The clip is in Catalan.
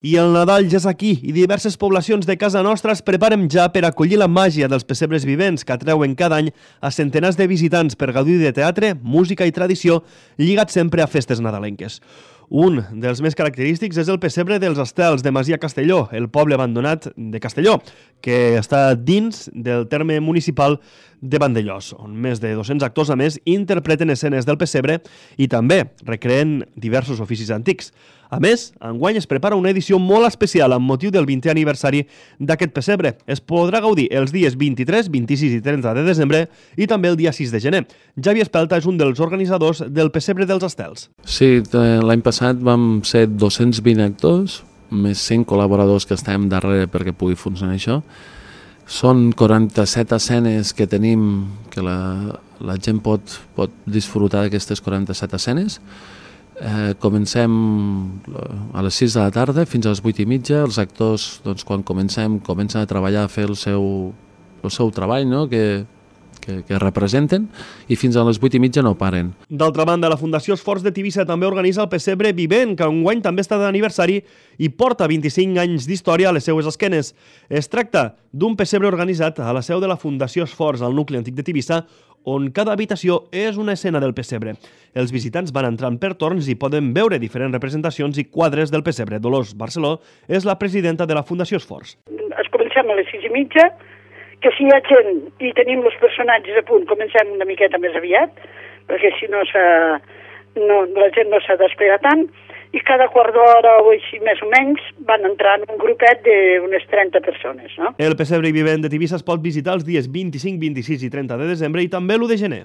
I el Nadal ja és aquí i diverses poblacions de casa nostra es preparen ja per acollir la màgia dels pessebres vivents que atreuen cada any a centenars de visitants per gaudir de teatre, música i tradició lligat sempre a festes nadalenques. Un dels més característics és el pessebre dels Estels de Masia Castelló, el poble abandonat de Castelló, que està dins del terme municipal de Vandellòs, on més de 200 actors a més interpreten escenes del pessebre i també recreen diversos oficis antics. A més, enguany es prepara una edició molt especial amb motiu del 20è aniversari d'aquest pessebre. Es podrà gaudir els dies 23, 26 i 30 de desembre i també el dia 6 de gener. Javi Espelta és un dels organitzadors del pessebre dels Estels. Sí, l'any passat vam ser 220 actors, més 100 col·laboradors que estem darrere perquè pugui funcionar això. Són 47 escenes que tenim, que la gent pot disfrutar d'aquestes 47 escenes. Comencem a les 6 de la tarda fins a les 8:30. Els actors, doncs, quan comencen a treballar, a fer el seu treball, no? que representen, i fins a les 8:30 no paren. D'altra banda, la Fundació Esforç de Tivissa també organitza el pessebre vivent, que enguany també està d'aniversari i porta 25 anys d'història a les seues esquenes. Es tracta d'un pessebre organitzat a la seu de la Fundació Esforç, al nucli antic de Tivissa, on cada habitació és una escena del pessebre. Els visitants van entrant per torns i poden veure diferents representacions i quadres del pessebre. Dolors Barceló és la presidenta de la Fundació Esforç. Comencem a les 6:30, que si hi ha gent i tenim els personatges a punt, comencem una miqueta més aviat, perquè si no, la gent no s'ha d'esperar tant, i cada quart d'hora o així més o menys van entrant un grupet d'unes 30 persones. No? El pessebre vivent de Tivissa es pot visitar els dies 25, 26 i 30 de desembre i també l'1 de gener.